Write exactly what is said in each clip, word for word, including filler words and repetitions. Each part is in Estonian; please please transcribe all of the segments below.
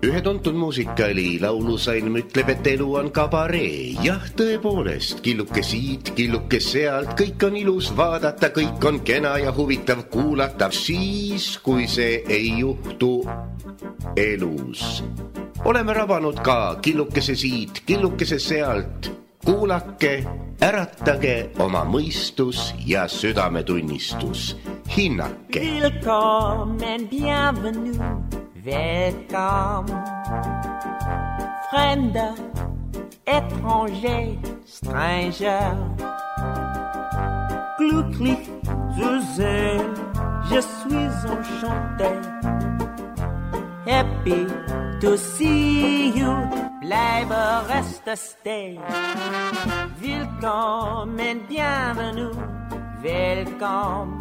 Ühe tuntud muusikaali laulusalm ütleb, et elu on kabaree. Jah, tõepoolest, killuke siit, killuke sealt, kõik on ilus vaadata, kõik on kena ja huvitav kuulata. Siis, kui see ei juhtu elus. Oleme rabanud ka killukese siit, killukese sealt. Kuulake, äratage oma mõistus ja südametunnistus. Hinnake. Willkommen, bienvenue. Welcome, Fremder, étranger, stranger. Glücklich zu sehen, je suis enchanté. Happy to see you, bleibe, reste, stay. Willkommen, bienvenue, welcome.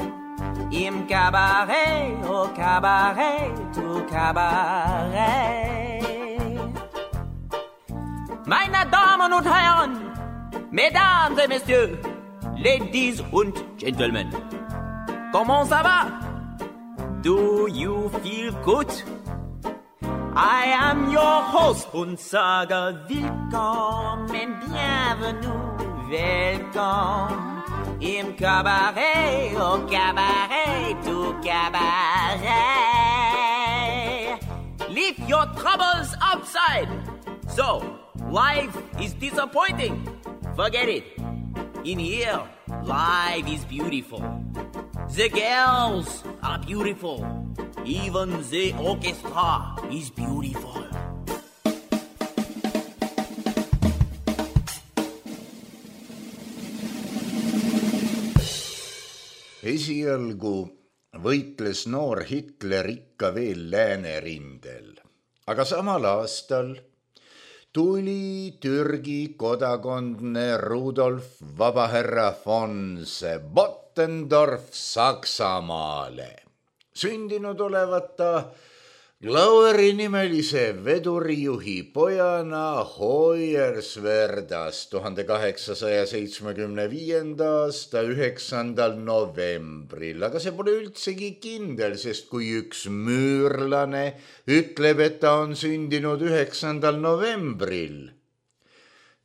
Im Cabaret, au Cabaret, au Cabaret. Meine Damen und Herren, Mesdames et Messieurs, Ladies und Gentlemen, comment ça va? Do you feel good? I am your host und sage willkommen, bienvenue, welcome. Im Cabaret, au Cabaret, au Cabaret. Leave your troubles outside. So, life is disappointing. Forget it. In here, life is beautiful. The girls are beautiful. Even the orchestra is beautiful. Esialgu võitles noor Hitler ikka veel läänerindel, aga samal aastal tuli Türgi kodakondne Rudolf Vabahärra von Bottendorf Saksamaale. Sündinud olevat ta Glauri nimelise vedurijuhi pojana Hoyerswerdas tuhande kaheksasaja seitsmekümne viienda aasta üheksandal novembril, aga see pole üldsegi kindel, sest kui üks müürlane ütleb, et ta on sündinud üheksandal novembril,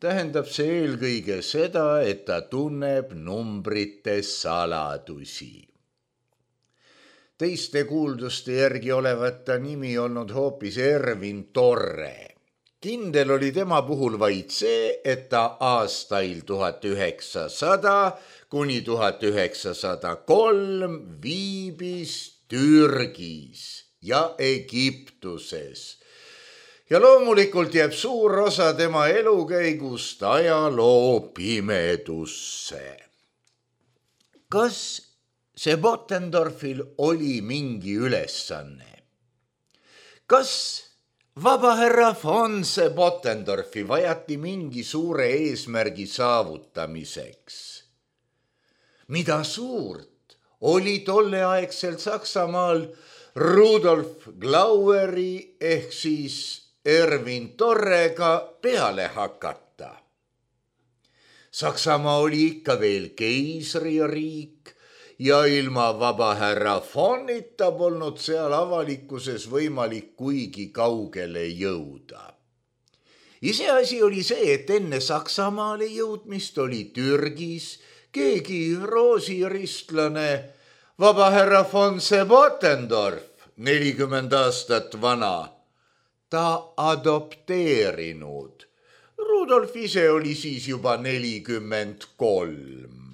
tähendab see eelkõige seda, et ta tunneb numbrite saladusi. Teiste kuulduste järgi olevat ta nimi olnud hoopis Ervin Torre. Kindel oli tema puhul vaid see, et ta aastail tuhat üheksasada kuni tuhat üheksasada kolm viibis Türgis ja Egiptuses. Ja loomulikult jääb suur osa tema elukäigust ajaloo pimedusse. Kas see Bottendorfil oli mingi ülesanne? Kas Vabahärra von Bottendorfi vajati mingi suure eesmärgi saavutamiseks? Mida suurt oli tolleaegselt Saksamaal Rudolf Glauri ehk siis Ervin Torrega peale hakata? Saksamaa oli ikka veel keisririik, ja ilma Vabahärra Vonita polnud seal avalikkuses võimalik kuigi kaugele jõuda. Iseasi oli see, et enne Saksamaale jõudmist oli Türgis keegi roosiristlane Vabahärra von Bottendorf, nelikümmend aastat vana, ta adopteerinud. Rudolf ise oli siis juba nelikümmend kolm.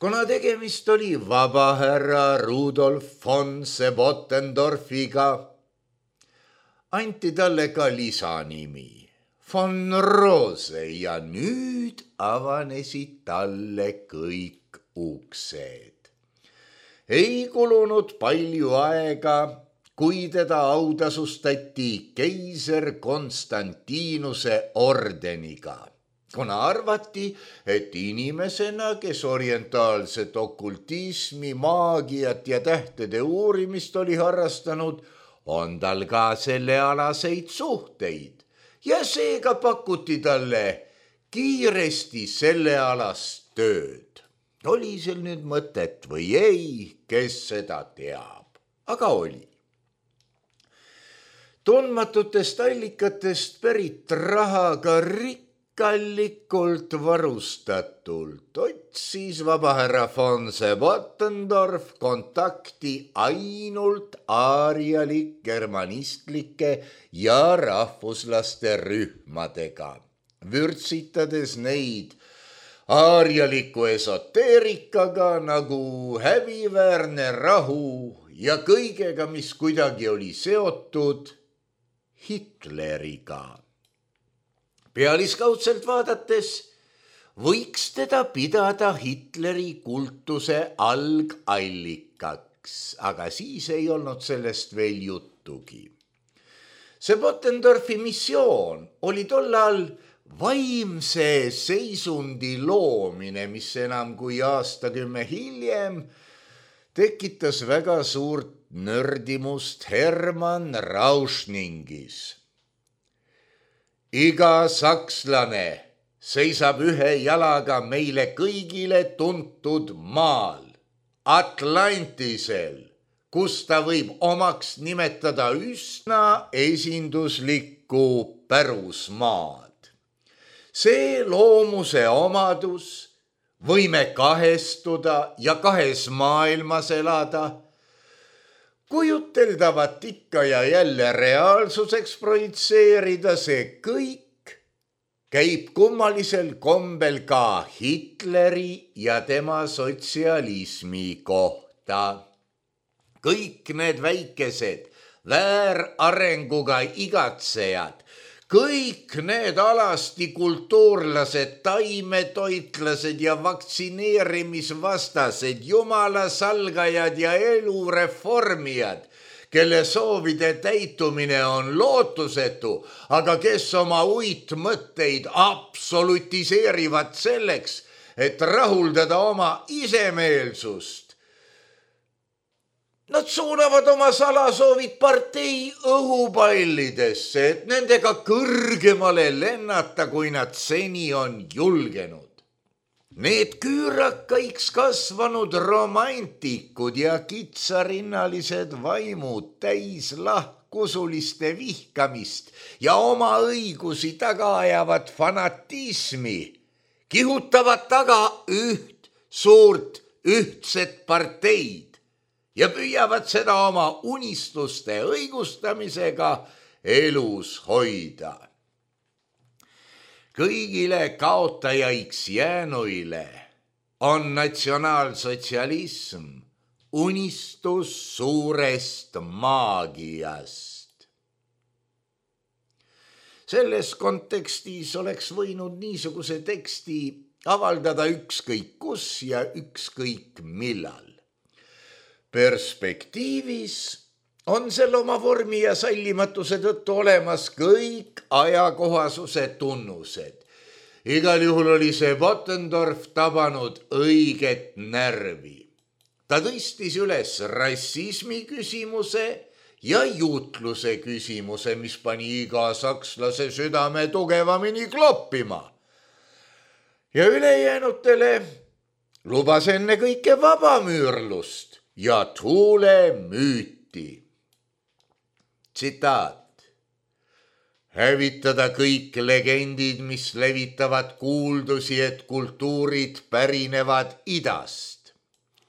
Kuna tegemist oli Vabahärra Rudolf von Bottendorfiga, anti talle ka lisanimi von Rose ja nüüd avanesid talle kõik uksed. Ei kulunud palju aega, kui teda autasustati keiser Konstantinuse ordeniga. Kuna arvati, et inimesena, kes orientaalset okultismi, maagiat ja tähtede uurimist oli harrastanud, on tal ka sellealaseid suhteid ja seega pakuti talle kiiresti sellealast tööd. Oli seal nüüd mõtet või ei, kes seda teab, aga oli. tundmatutest allikatest pärit rahaga rikkallikult varustatult otsis vabahärra von Sebottendorf kontakti ainult aarialik germanistlike ja rahvuslaste rühmadega, vürtsitades neid aarialiku esoteerikaga nagu häbiväärne rahu ja kõigega, mis kuidagi oli seotud Hitleriga. Pealiskaudselt vaadates võiks teda pidada Hitleri kultuse algallikaks, aga siis ei olnud sellest veel juttugi. Sebottendorfi missioon oli tollal vaimse seisundi loomine, mis enam kui aastakümme hiljem tekitas väga suurt nördimust Hermann Rauschningis. Iga sakslane seisab ühe jalaga meile kõigile tuntud maal, Atlantisel, kus ta võib omaks nimetada üsna esinduslikku pärusmaad. See loomuse omadus, võime kahestuda ja kahes maailmas elada, kujuteldavat ikka ja jälle reaalsuseks projitseerida, see kõik käib kummalisel kombel ka Hitleri ja tema sotsialismi kohta. Kõik need väikesed väärarenguga igatsejad, kõik need alasti kultuurlased, taimetoitlased ja vaktsineerimisvastased, jumalasalgajad ja elureformijad, kelle soovide täitumine on lootusetu, aga kes oma uitmõtteid absolutiseerivad selleks, et rahuldada oma isemeelsust. Nad suunavad oma salasoovid partei õhupallidesse, et nendega kõrgemale lennata, kui nad seni on julgenud. Need küürakaiks kasvanud romantikud ja kitsarinnalised vaimud täis lahkusuliste vihkamist ja oma õigusi taga ajavad fanatismi, kihutavad taga üht suurt ühtset parteid ja püüavad seda oma unistuste õigustamisega elus hoida. Kõigile kaotajaiks jäänuile on natsionaalsotsialism unistus suurest maagiast. Selles kontekstis oleks võinud niisuguse teksti avaldada ükskõik kus ja ükskõik millal. Perspektiivis on sel oma vormi ja sallimatuse tõttu olemas kõik ajakohasuse tunnused. Igal juhul oli see Sebottendorf tabanud õiget närvi. Ta tõstis üles rassismi küsimuse ja juutluse küsimuse, mis pani iga sakslase südame tugevamini kloppima. Ja ülejäänutele lubas enne kõike vabamüürlust ja tuule müüti. Tsitaat. Hävitada kõik legendid, mis levitavad kuuldusi, et kultuurid pärinevad idast.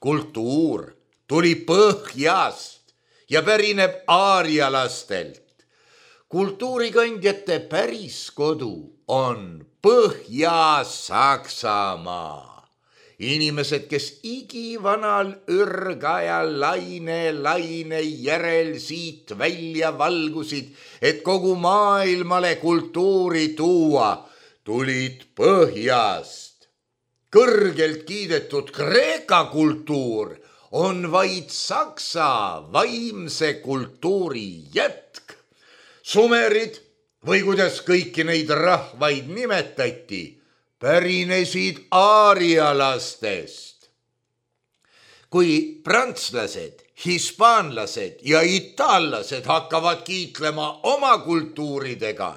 Kultuur tuli põhjast ja pärineb aarialastelt. Kultuurikandjate päris kodu on Põhja-Saksamaa. Inimesed, kes igivanal ürgajal laine laine järel siit välja valgusid, et kogu maailmale kultuuri tuua, tulid põhjast. Kõrgelt kiidetud Kreeka kultuur on vaid saksa vaimse kultuuri jätk. Sumerid, või kuidas kõiki neid rahvaid nimetati, pärinesid aarialastest. Kui prantslased, hispaanlased ja itaallased hakkavad kiitlema oma kultuuridega,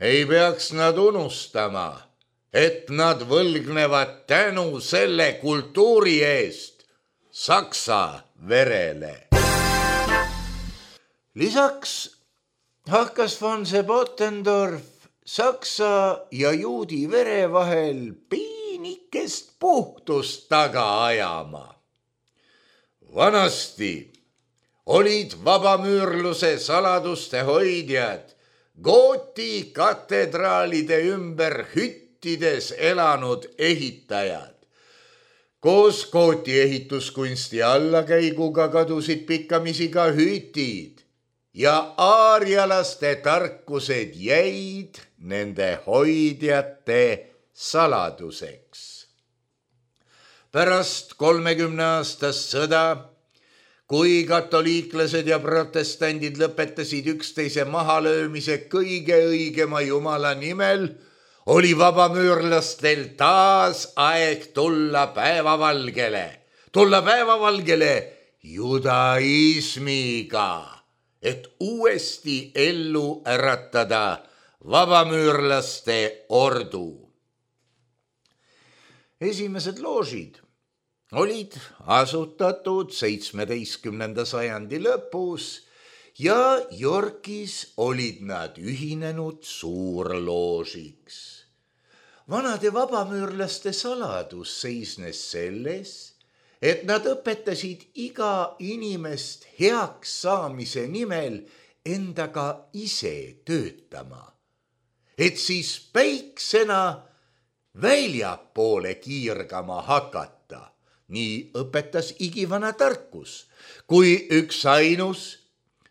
ei peaks nad unustama, et nad võlgnevad tänu selle kultuuri eest saksa verele. Lisaks hakkas von Sebottendorf saksa ja juudi vere vahel piinikest puhtust taga ajama. Vanasti olid vabamüürluse saladuste hoidjad Gooti katedraalide ümber hüttides elanud ehitajad. Koos Gooti ehituskunsti allakäiguga kadusid pikkamisi ka hütid ja aarialaste tarkused jäid nende hoidjate saladuseks. Pärast kolmekümne aastast sõda, kui katoliiklased ja protestandid lõpetasid üksteise mahalöömise kõige õigema Jumala nimel, oli vabamüürlastel taas aeg tulla päevavalgele, tulla päevavalgele judaismiga, et uuesti ellu äratada vabamüürlaste ordu. Esimesed loožid olid asutatud seitsmeteistkümnenda sajandi lõpus ja Yorkis olid nad ühinenud suurloožiks. Vanade vabamüürlaste saladus seisnes selles, et nad õpetasid iga inimest heaks saamise nimel endaga ise töötama, et siis päiksena väljapoole kiirgama hakata. Nii õpetas igivana tarkus, kui üks ainus,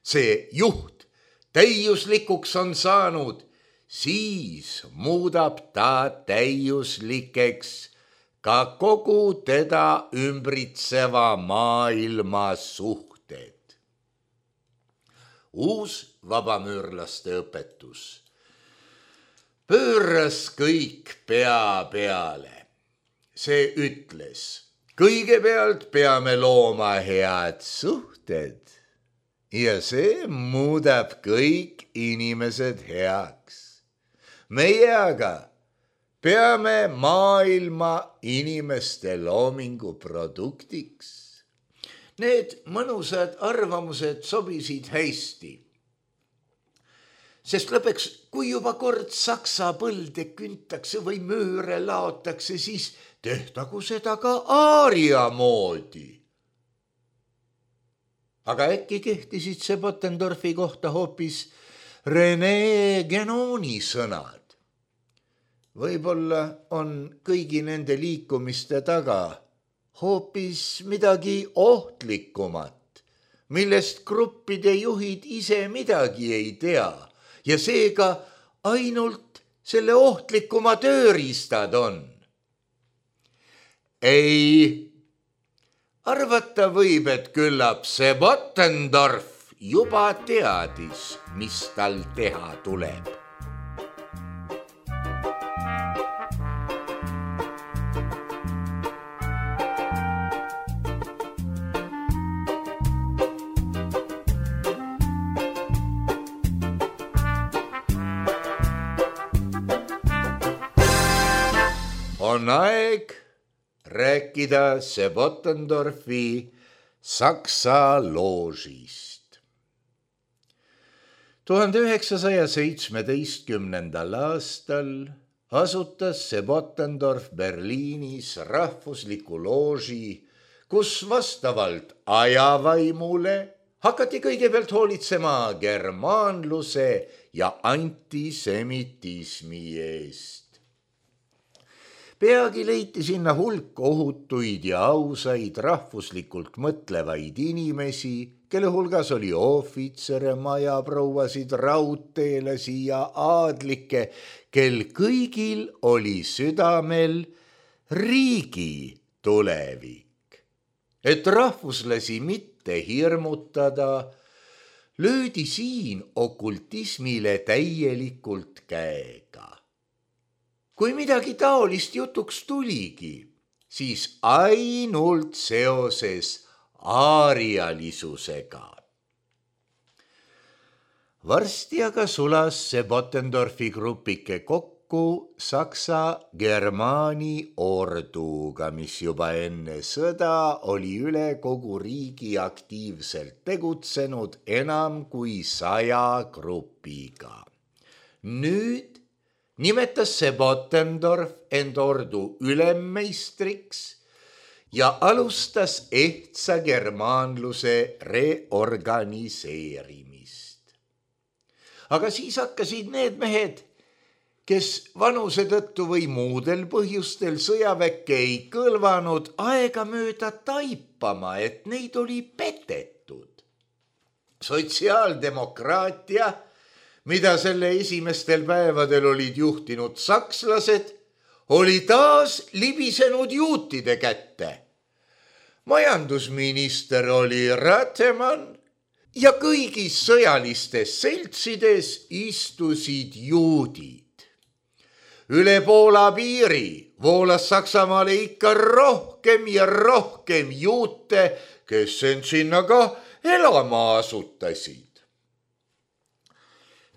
see juht, täiuslikuks on saanud, siis muudab ta täiuslikeks ka kogu teda ümbritseva maailma suhted. Uus vabamüürlaste õpetus pööras kõik pea peale. See ütles, kõigepealt peame looma head suhted ja see muudab kõik inimesed heaks. Meie aga peame maailma inimeste loomingu produktiks. Need mõnusad arvamused sobisid hästi. Sest lõpeks, kui juba kord saksa põlde küntakse või mööre laotakse, siis tehtagu seda ka aaria moodi. Aga äkki kehtisid Sebottendorfi kohta hoopis René Guénoni sõnad. Võib-olla on kõigi nende liikumiste taga hoopis midagi ohtlikumat, millest gruppide juhid ise midagi ei tea ja seega ainult selle ohtlikuma tööriistad on. Ei, arvata võib, et küllap Sebottendorf juba teadis, mis tal teha tuleb. On aeg rääkida Sebottendorfi saksa loožist. tuhande üheksasaja seitsmeteistkümnendal aastal asutas Sebottendorf Berliinis rahvusliku looži, kus vastavalt ajavaimule hakati kõigepealt hoolitsema germaanluse ja antisemitismi eest. Peagi leiti sinna hulk ohutuid ja ausaid rahvuslikult mõtlevaid inimesi, kelle hulgas oli ohvitsere, majaprouasid, raudteelasi ja aadlikke, kel kõigil oli südamel riigi tulevik. Et rahvuslasi mitte hirmutada, löödi siin okultismile täielikult käega. Kui midagi taolist jutuks tuligi, siis ainult seoses aarialisusega. Varsti aga sulas Sebottendorfi grupike kokku kokku Saksa-Germaani orduga, mis juba enne sõda oli üle kogu riigi aktiivselt tegutsenud enam kui saja grupiga. Nüüd nimetas see Bottendorf end ordu ülemmeistriks ja alustas ehtsa germaanluse reorganiseerimist. Aga siis hakkasid need mehed, kes vanuse tõttu või muudel põhjustel sõjaväkke ei kõlvanud, aegamööda taipama, et neid oli petetud. Sotsiaaldemokraatia, mida selle esimestel päevadel olid juhtinud sakslased, oli taas libisenud juutide kätte. Majandusminister oli Ratemann ja kõigis sõjalistes seltsides istusid juudid. Üle Poola piiri voolas Saksamaale ikka rohkem ja rohkem juute, kes end sinna ka elama asutasid.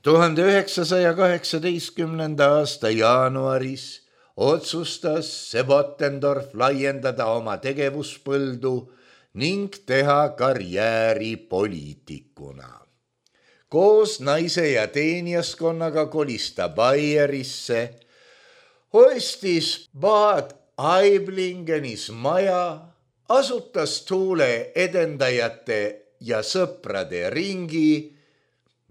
tuhande üheksasaja kaheksateistkümnenda aasta jaanuaris otsustas see Bottendorf laiendada oma tegevuspõldu ning teha karjääri poliitikuna. Koos naise ja teenijaskonnaga kolis ta Bayerisse, ostis Bad Aiblingenis maja, asutas Thule edendajate ja sõprade ringi.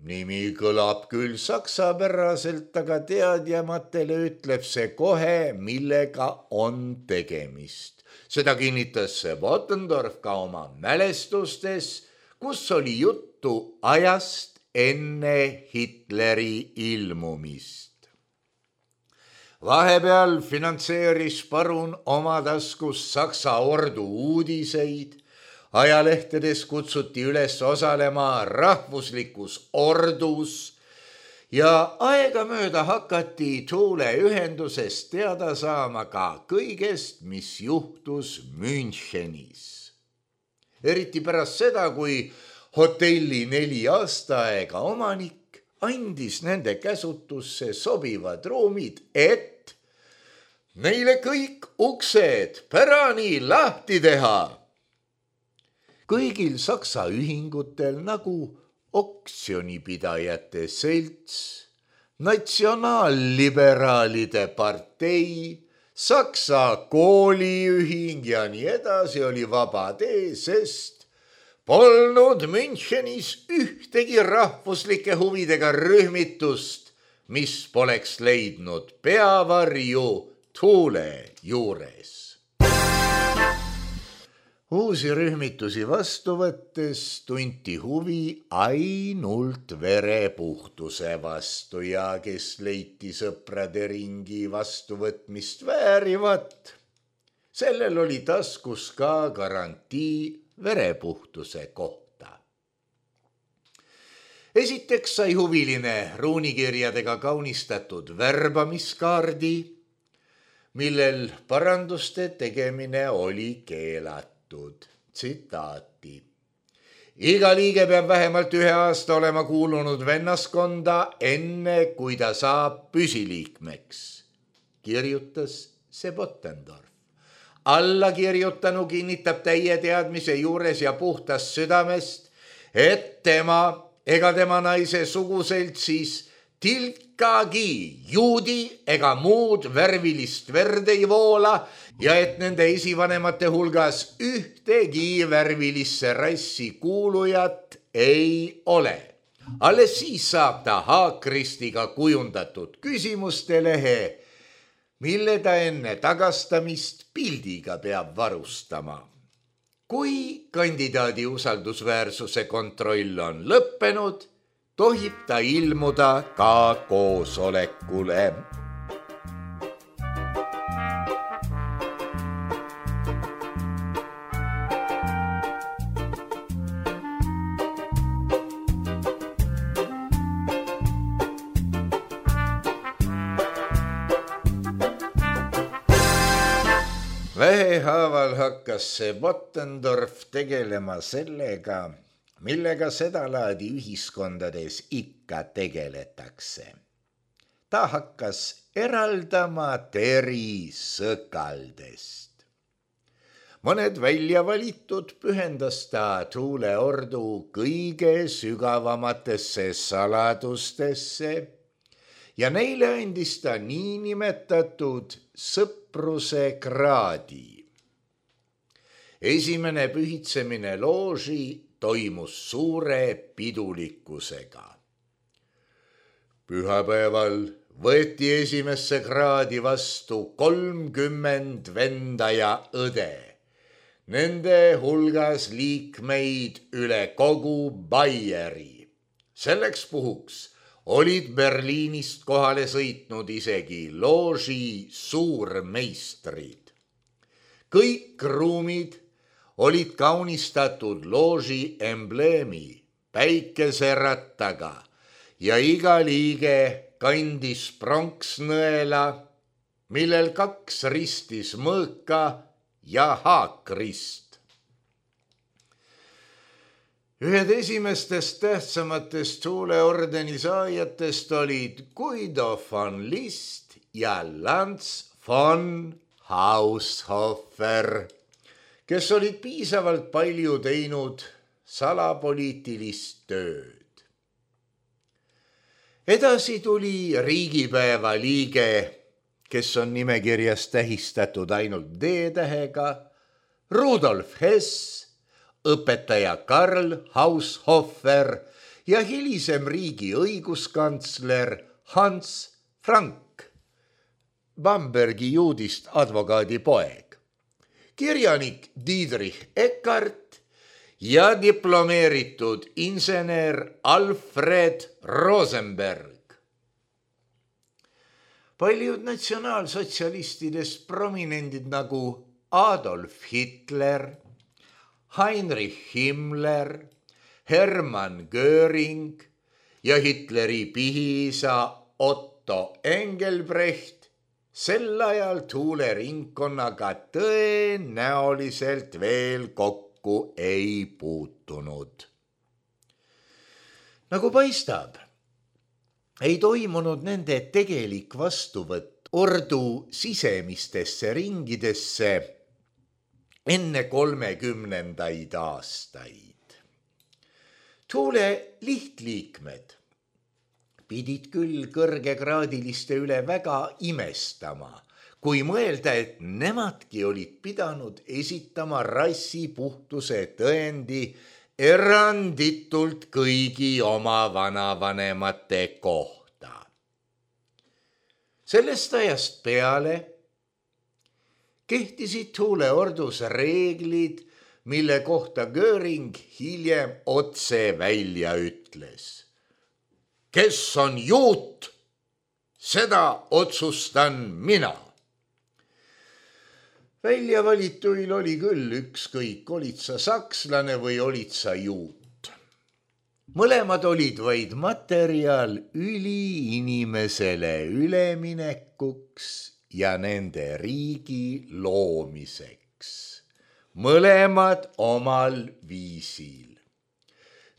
Nimi kõlab küll saksapäraselt, aga teadjamatele ütleb see kohe, millega on tegemist. Seda kinnitas see Bottendorf ka oma mälestustes, kus oli juttu ajast enne Hitleri ilmumist. Vahepeal finantseeris parun oma taskus Saksa ordu uudiseid, ajalehtedes kutsuti üles osalema rahvuslikus ordus ja aegamööda hakati Thule ühendusest teada saama ka kõigest, mis juhtus Münchenis. Eriti pärast seda, kui hotelli neli aastaaega omanik andis nende käsutusse sobivad ruumid, et neile kõik uksed pärani lahti teha. Kõigil Saksa ühingutel nagu oksjonipidajate selts, natsionaalliberaalide partei, Saksa kooliühing ja nii edasi oli vaba tee, sest polnud Münchenis ühtegi rahvuslike huvidega rühmitust, mis poleks leidnud peavarju Thule juures. Uusi rühmitusi vastu võttes tunti huvi ainult verepuhtuse vastu ja kes leiti sõprade ringi vastuvõtmist väärivat, sellel oli taskus ka garantii verepuhtuse kohta. Esiteks sai huviline ruunikirjadega kaunistatud värbamiskaardi, millel paranduste tegemine oli keelatud. Tsitaati. Iga liige peab vähemalt ühe aasta olema kuulunud vennaskonda, enne kui ta saab püsiliikmeks, kirjutas see Bottendorf. Allakirjutanu kinnitab täie teadmise juures ja puhtast südamest, et tema ega tema naise suguseltsis tilkagi juudi ega muud värvilist verd ei voola ja et nende esivanemate hulgas ühtegi värvilisse rassi kuulujat ei ole. Alles siis saab ta haakristiga kujundatud küsimuste lehe, mille ta enne tagastamist pildiga peab varustama. Kui kandidaadi usaldusväärsuse kontroll on lõppenud, tohib ta ilmuda ka koosolekule. Vähehaaval hakkas see Bottendorf tegelema sellega, millega sedalaadi ühiskondades ikka tegeletakse. ta hakkas eraldama teri sõkaldest. Mõned välja valitud pühendas ta tuuleordu kõige sügavamatesse saladustesse ja neile andis ta niinimetatud sõpruse kraadi. Esimene pühitsemine looži toimus suure pidulikkusega. Pühapäeval võeti esimesse kraadi vastu kolmkümmend venda ja õde. Nende hulgas liikmeid üle kogu Baieri. Selleks puhuks olid Berliinist kohale sõitnud isegi looži suurmeistrid. Kõik ruumid olid kaunistatud looži embleemi päikeserattaga ja iga liige kandis pronksnõela, millel kaks ristis mõõka ja haakrist. Ühed esimestest tähtsamatest tuuleordeni saajatest olid Guido von List ja Lanz von Haushofer, kes olid piisavalt palju teinud salapoliitilist tööd. Edasi tuli riigipäeva liige, kes on nimekirjas tähistatud ainult D-tähega, Rudolf Hess, õpetaja Karl Haushofer ja hilisem riigi õiguskantsler Hans Frank, Bambergi juudist advokaadi poeg, kirjanik Diedrich Eckart ja diplomeeritud insener Alfred Rosenberg. Paljud natsionaalsotsialistidest prominendid nagu Adolf Hitler, Heinrich Himmler, Hermann Göring ja Hitleri pihiisa Otto Engelbrecht sel ajal tuuleringkonnaga tõenäoliselt veel kokku ei puutunud. Nagu paistab, ei toimunud nende tegelik vastuvõtt ordu sisemistesse ringidesse enne kolmekümnendaid aastaid. Tuule lihtliikmed pidid küll kõrgekraadiliste üle väga imestama, kui mõelda, et nemadki olid pidanud esitama rassipuhtuse tõendi eranditult kõigi oma vanavanemate kohta. Sellest ajast peale kehtisid tuuleordus reeglid, mille kohta Göring hiljem otse välja ütles. Kes on juut, seda otsustan mina. Välja valituil oli küll ükskõik, olid sa sakslane või olid sa juut. Mõlemad olid vaid materjal üliinimesele üleminekuks ja nende riigi loomiseks. Mõlemad omal viisil.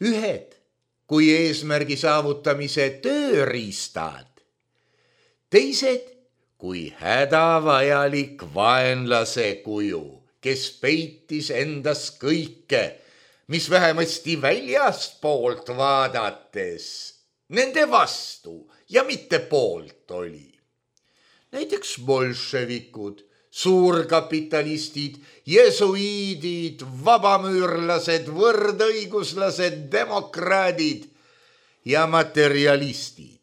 Ühed kui eesmärgi saavutamise tööriistad, teised kui hädavajalik vaenlase kuju, kes peitis endas kõike, mis vähemasti väljastpoolt vaadates nende vastu ja mitte poolt oli. Näiteks bolševikud, suurkapitalistid, jesuiidid, vabamüürlased, võrdõiguslased, demokraadid ja materialistid.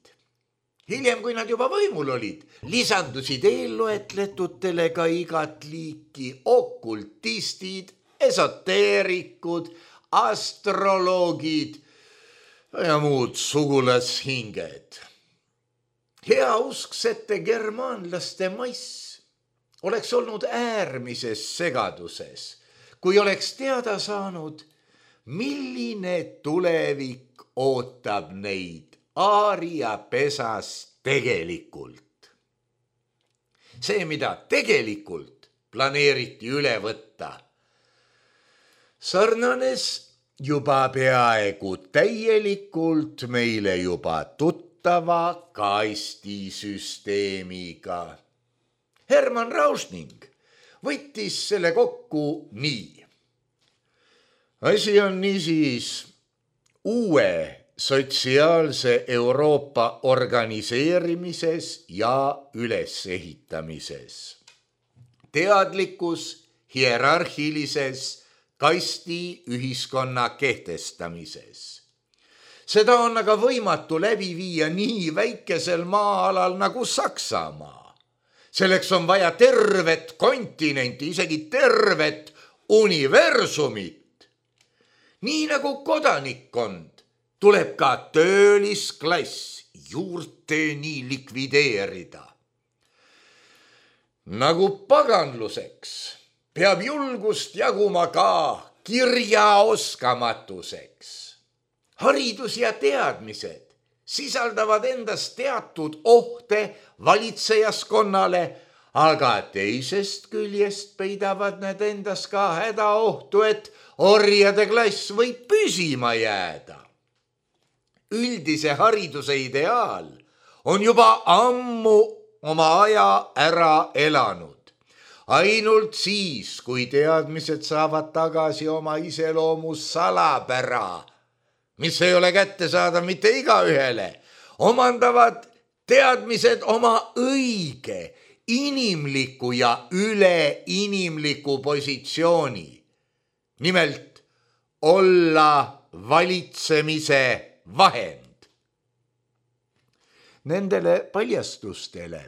Hiljem, kui nad juba võimul olid, lisandusid eelloetletutele ka igat liiki okultistid, esoteerikud, astroloogid ja muud sugulashinged. Heausksete germaanlaste mass oleks olnud äärmises segaduses, kui oleks teada saanud, milline tulevik ootab neid Aaria pesas tegelikult. See, mida tegelikult planeeriti üle võtta, sarnanes juba peaaegu täielikult meile juba tuttava kasutava kastisüsteemiga. Hermann Rauschning võttis selle kokku nii. Asi on niisiis uue sotsiaalse Euroopa organiseerimises ja ülesehitamises. Teadlikkus hierarhilises kasti ühiskonna kehtestamises. Seda on aga võimatu läbi viia nii väikesel maa-alal nagu Saksamaa. Selleks on vaja tervet kontinenti, isegi tervet universumit. Nii nagu kodanikkond tuleb ka töölisklass juurteni likvideerida. Nagu paganluseks peab julgust jaguma ka kirjaoskamatuseks. Haridus ja teadmised sisaldavad endas teatud ohte valitsejaskonnale, aga teisest küljest peidavad need endas ka hädaohtu, et orjade klass võib püsima jääda. Üldise hariduse ideaal on juba ammu oma aja ära elanud. Ainult siis, kui teadmised saavad tagasi oma iseloomu salapära, mis ei ole kättesaadav mitte igaühele, omandavad teadmised oma õige, inimliku ja üleinimliku positsiooni. Nimelt olla valitsemise vahend. Nendele paljastustele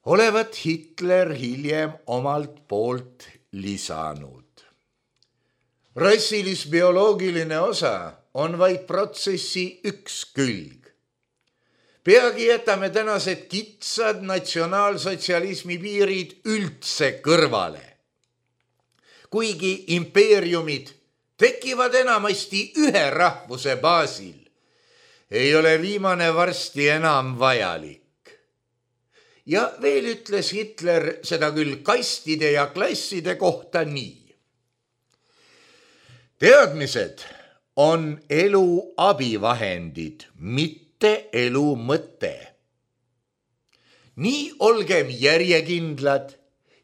olevat Hitler hiljem omalt poolt lisanud. Rassilis-bioloogiline osa on vaid protsessi üks külg. Peagi jätame tänased kitsad natsionaalsotsialismi piirid üldse kõrvale. Kuigi impeeriumid tekivad enamasti ühe rahvuse baasil, ei ole viimane varsti enam vajalik. Ja veel ütles Hitler seda küll kastide ja klasside kohta nii. Teadmised on elu abivahendid, mitte elu mõte. Nii olgem järjekindlad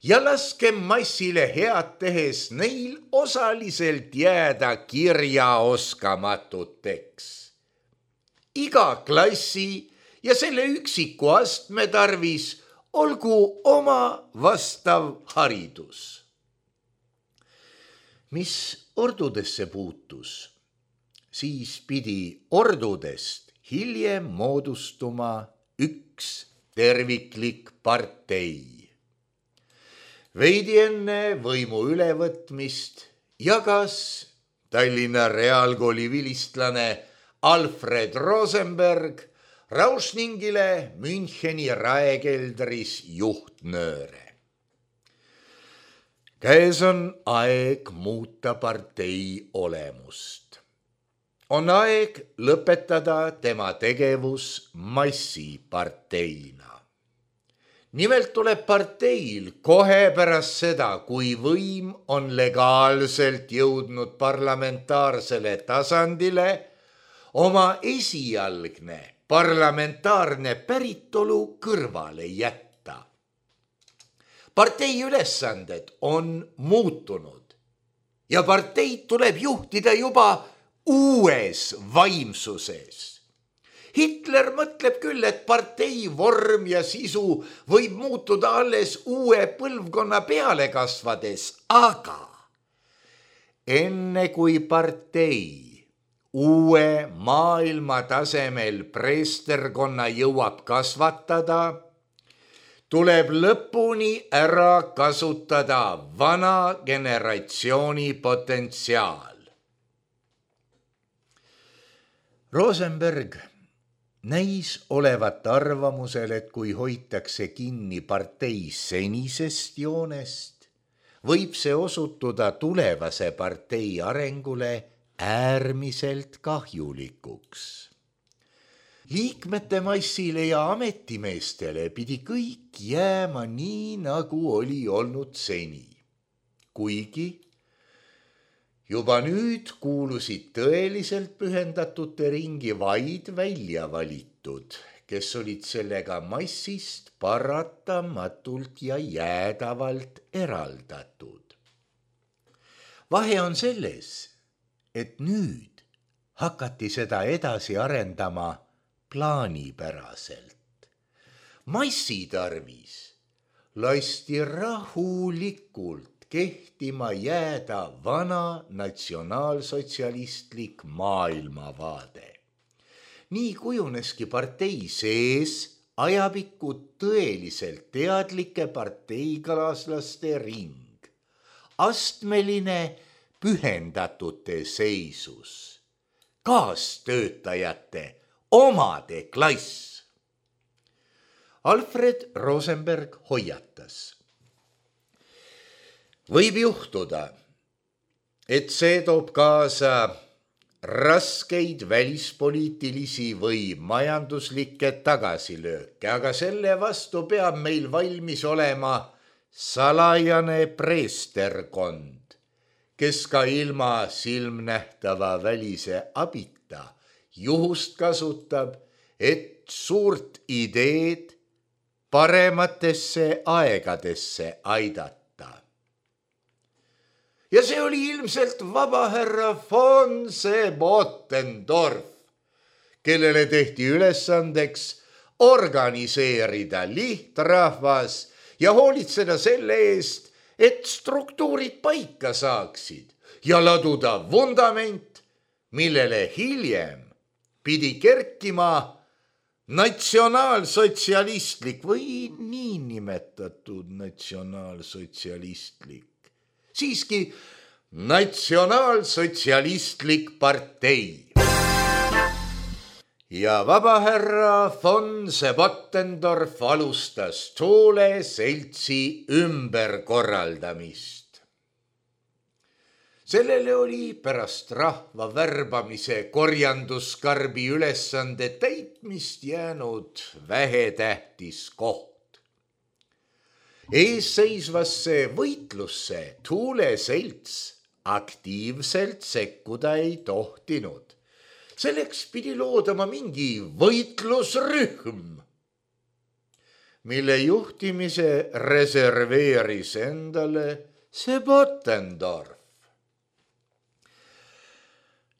ja laskem massile head tehes neil osaliselt jääda kirjaoskamatuteks. Iga klassi ja selle üksiku astme tarvis olgu oma vastav haridus. Mis ordudesse puutus, siis pidi ordudest hiljem moodustuma üks terviklik partei. Veidi enne võimu ülevõtmist jagas Tallinna Reaalkooli vilistlane Alfred Rosenberg Rauschningile Müncheni raekeldris juhtnööre. Käes on aeg muuta partei olemust. On aeg lõpetada tema tegevus massiparteina. Nimelt tuleb parteil kohe pärast seda, kui võim on legaalselt jõudnud parlamentaarsele tasandile, oma esialgne parlamentaarne päritolu kõrvale jätta. Partei ülesanded on muutunud ja parteid tuleb juhtida juba uues vaimsuses. Hitler mõtleb küll, et partei vorm ja sisu võib muutuda alles uue põlvkonna peale kasvades, aga enne kui partei uue maailma tasemel preesterkonna jõuab kasvatada, tuleb lõpuni ära kasutada vana generatsiooni potentsiaal. Rosenberg näis olevat arvamusel, et kui hoitakse kinni partei senisest joonest, võib see osutuda tulevase partei arengule äärmiselt kahjulikuks. Liikmete massile ja ametimeestele pidi kõik jääma nii, nagu oli olnud seni. Kuigi Juba nüüd kuulusid tõeliselt pühendatute ringi vaid välja valitud, kes olid sellega massist paratamatult ja jäädavalt eraldatud. Vahe on selles, et nüüd hakati seda edasi arendama plaanipäraselt. Massi tarvis lasti rahulikult kehtima jääda vana natsionaalsotsialistlik maailmavaade. Nii kujuneski partei sees ajapikku tõeliselt teadlike parteikalaslaste ring. Astmeline pühendatute seisus. Kaastöötajate omade klass. Alfred Rosenberg hoiatas. Võib juhtuda, et see toob kaasa raskeid välispoliitilisi või majanduslikke tagasilööke, aga selle vastu peab meil valmis olema salajane preesterkond, kes ka ilma silmnähtava välise abita juhust kasutab, et suurt ideed parematesse aegadesse aidata. Ja see oli ilmselt vabahärra von Sebottendorf, kellele tehti ülesandeks organiseerida lihtrahvas ja hoolitseda selle eest, et struktuurid paika saaksid ja laduda vundament, millele hiljem pidi kerkima natsionaalsotsialistlik või niinimetatud natsionaalsotsialistlik. Siiski natsionaalsotsialistlik partei. Ja vabahärra von Sebottendorf alustas Thule seltsi ümberkorraldamist. Sellele oli pärast rahva värbamise korjanduskarbi ülesande täitmist jäänud vähetähtis koht. Eesseisvasse võitlusse Thule selts aktiivselt sekkuda ei tohtinud. Selleks pidi loodama mingi võitlusrühm, mille juhtimise reserveeris endale Sebottendorf.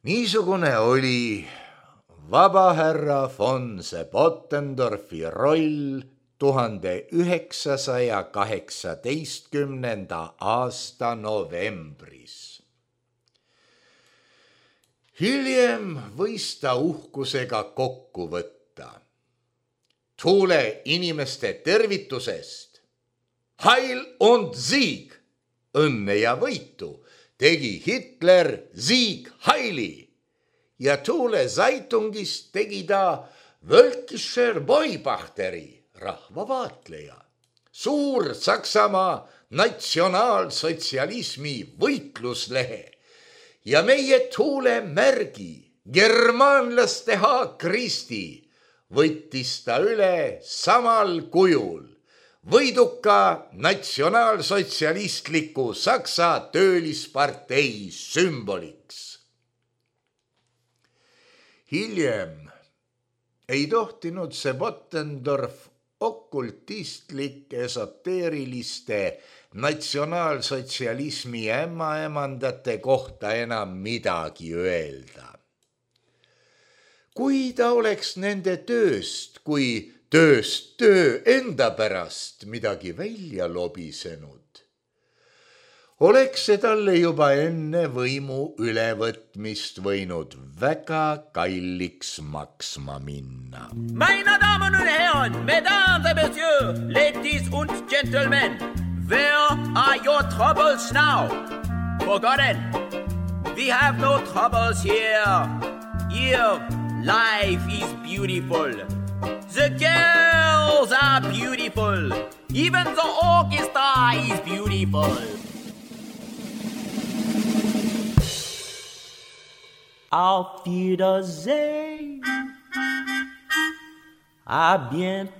Niisugune oli vabahärra von Sebottendorfi roll tuhande üheksasaja kaheksateistkümnenda aasta novembris. Hiljem võis ta uhkusega kokku võtta. Thule inimeste tervitusest Heil und Sieg, õnne ja võitu, tegi Hitler Sieg Heili ja Thule Zeitungist tegi ta Völkischer Beobachteri, rahvavaatleja, suur Saksamaa natsionaalsotsialismi võitluslehe ja meie Thule märgi, germaanlaste haakristi, võttis ta üle samal kujul võiduka natsionaalsotsialistliku Saksa töölispartei sümboliks. Hiljem ei tohtinud Sebottendorf okultistlik esoteeriliste natsionaalsotsialismi ämmaemandate kohta enam midagi öelda. Kui ta oleks nende tööst, kui tööst töö enda pärast midagi välja lobisenud, oleks see talle juba enne võimu ülevõtmist võinud väga kalliks maksma minna. Meine Damen und Herren, Mesdames et Messieurs, ladies und gentlemen, where are your troubles now? Forgotten, we have no troubles here. Here, life is beautiful. The girls are beautiful. Even the orchestra is beautiful. Auf Wiedersehen, à bientôt.